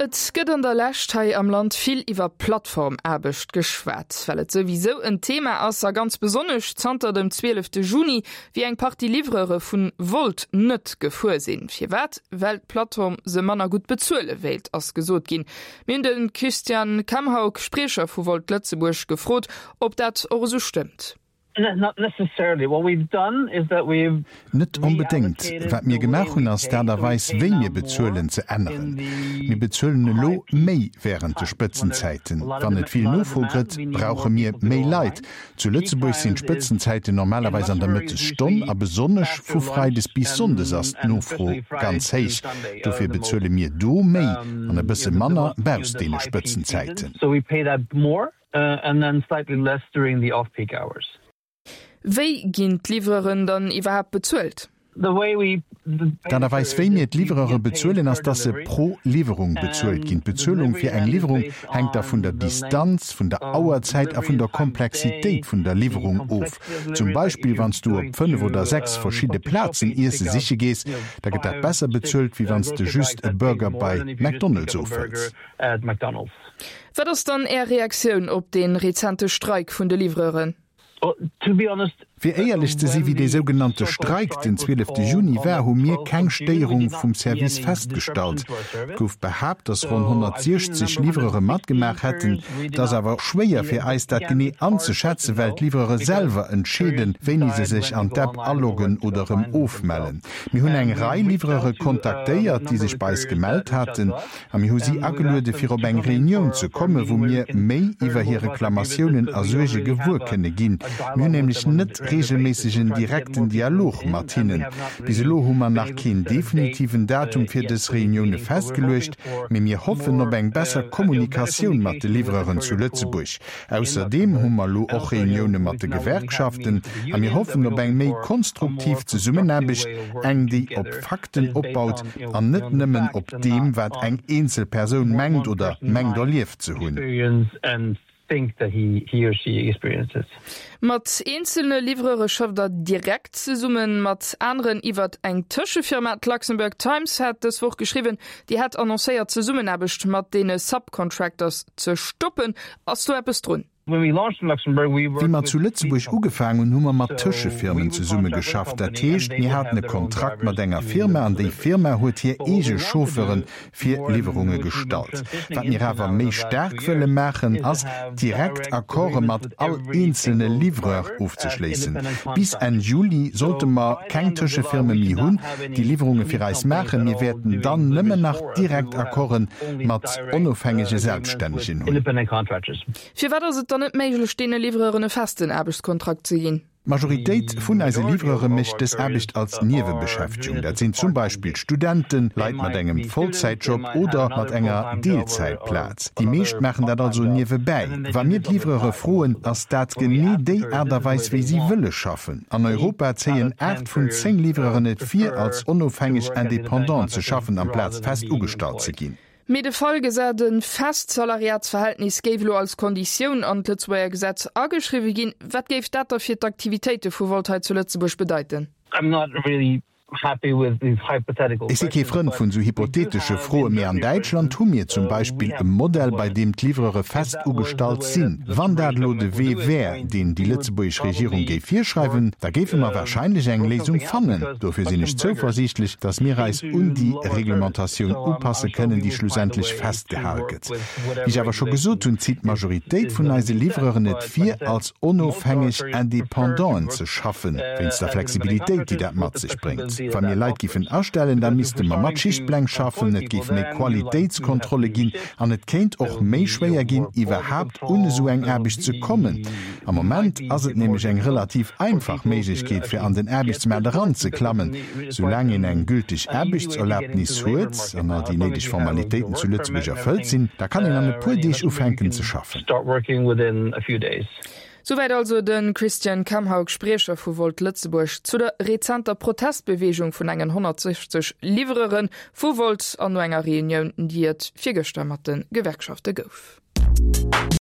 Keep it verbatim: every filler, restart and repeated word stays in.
Et gëtt an der Lescht hei am Land vill iwwer Plattformaarbecht geschwat, well et souwisou en Thema ass a ganz besonnesch zanter dem zwielefte Juni, wéi eng Partie Livreure vun Wolt net gefuer sinn. Firwat? Well d'Plattform se manner gutt bezuele wéilt, ass gesot ginn. Mir hunn de Christian Kamhaug, Spriecher vu Wolt Lëtzebuerg, gefrot, ob dat och esou stëmmt. Net onbedéngt. Wat mir gemaach hunn, ass d'Aart a Weis, wéi mir bezuelen, ze änneren. Mir bezuelen elo méi wärend de Spëtzenzäiten. Wann et vill Nofro gëtt, brauche mir méi Leit. Zu Lëtzebuerg sinn d'Spëtzenzäiten normalerweis an der Mëttesstonn a besonnesch vu freides bis sonndes ass d'Nofro ganz héich. Dofir bezuele mir do méi an e bësse manner bausst deene Spëtzenzäiten. Wéi ginn d'Livreuren dann iwwerhaapt bezuelt? D'Aart a Weis wéi mir d'Livreure bezuelen ass, dass se pro Liwwerung bezuelt ginn. D'Bezuelung fir eng Liwwerung hänkt da vun der Distanz, vun der Auerzäit a vun der Komplexitéit vun der Liwwerung of. Zum Beispill wann s du op fënnef oder sechs verschidde Plazen Iesse siche gees, da gëtt dat besser bezuelt, wéi wann s de just e Burger bei McDonald's ofhëls. Wat ass dann Är Reaktioun op dee rezente Streik vun de Livreuren? Fir éierlech ze si, wéi dee sougenannte Streik den zwielefte Juni war, hu mir keng Stéierung vum Service festgestallt. Et gouf behaapt, datt ronn honnertsiechzeg Livreure matgemaach hätten. Et ass awer schwéier fir eis, dat genee anzeschätzen, well d'Livreure selwer entscheeden, wéini se sech an d'App aloggen oder erëm ofmellen. Mir hunn eng Rei Livreure kontaktéiert, déi sech bei eis gemellt haten, a mir hu si ageluede fir op eng Reunioun ze kommen, wou mir méi iwwer hir Reklamatiounen a Suerge gewuer kënne ginn. Mir hunn nämlech net reegelméisseg en direkten Dialog mat hinnen. Bis elo hu mer nach keen definitiven Datum fir dës Reunioune festgeluecht, mee mir hoffen op eng besser Kommunikatioun mat de Livreuren zu Lëtzebuerg. Ausserdeem hu mer elo och Reunioune mat de Gewerkschaften a mir hoffen op eng méi konstruktiv Zesummenaarbecht, eng déi op Fakten opbaut an net nëmmen op deem wat eng eenzel Persoun mengt oder mengt erlieft ze hunn. Think that he, he or she experiences. Mat eenzelne Livreure schafft der direkt zesummen, mat aneren iwwert eng Tëschefirma. D'Luxembourg Times hat dës Woch geschriwwen, Dir hätt annoncéiert d'Zesummenaarbecht mat deene Subcontractors ze stoppen. Ass do eppes drun? Wéi mer zu Lëtzebuerg ugefaang hunn, hu mer mat Tëschefirmen zesummegeschafft. Dat heescht, mir haten e Kontrakt mat enger Firma an déi Firma huet hir eege Chauffeure fir Liwwerunge gestallt. Wat mir awer méi staark wëlle maachen, ass direkt Accorde mat all eenzelne Livreur ofzeschléissen. Bis Enn Juli sollte mer keng Tëschefirme méi hunn, déi Liwwerunge fir eis maachen. Mir wäerten dann nëmmen nach direkt Accorde mat onofhängege Selbststännegen hunn. Firwat ass et dann net méiglech, deene Livreuren e festen Aarbechtskontrakt ze ginn? D'Majoritéit vun eise Livreure mécht dës Aarbecht als Niewebeschäftegung. Dat sinn zum Beispill Studenten, Leit mat engem Vollzäitjob oder mat enger Deelzäitplaz. Déi meescht maachen dat also niewebäi. Wa mir d'Livreure froen, ass dat genee déi Aart a Weis, wéi si wëlle schaffen. An Europa zéien aacht vun zéng Livreuren et vir, als onofhängeg Independant ze schaffen, amplaz fest ugestallt ze ginn. Mee de Fall gesat, e fest Salariatsverhältnis géif elo als Konditioun an d'Lëtzebuerger Gesetz ageschriwwe ginn, wat géif dat da fir d'Aktivitéite vu Wolt hei zu Lëtzebuerg bedeiten? Ech si kee Frënd vun esou hypotheetesche Froen, mee an Däitschland hu mir zum Beispill e Modell, bei deem d'Livreure fest ugestallt sinn. Wann dat elo de Wee wär, deen déi lëtzebuergesch Regierung géif virschreiwen, da géife mer warscheinlech eng Léisung fannen. Dofir sinn ech zouversiichtlech, dass mir eis un déi Reglementatioun upasse kënnen, déi schlussendlech festgehal gëtt. Wéi ech awer scho gesot hunn, zitt d'Majoritéit vun eise Livreuren et vir, als onofhängeg Independanten ze schaffen, wéinst der Flexibilitéit, déi dat mat sech bréngt. Wa mir Leit giffen astellen, da misste mer mat Schichtpläng schaffen, et géif méi Qualitéitskontrolle ginn an et kéint och méi schwéier ginn, iwwerhaapt un esou eng Aarbecht ze kommen. Am Moment ass et nämlech eng relativ einfach Méiglechkeet, fir an den Aarbechtsmaart eranzeklammen. Soulaang een eng gülteg Aarbechtserlabnis huet an all déi néideg Formalitéiten zu Lëtzebuerg erfëllt sinn, da kann een an e puer Deeg ufänken ze schaffen. Souwäit also de Christian Kamhaug, Spriecher vu Volt Lëtzebuerg, zu der rezenter Protestbeweegung vun engen honnertsechzeg Livreure vu Wolt an no enger Reunioun, déi et virgëschter mat de Gewerkschafte gouf.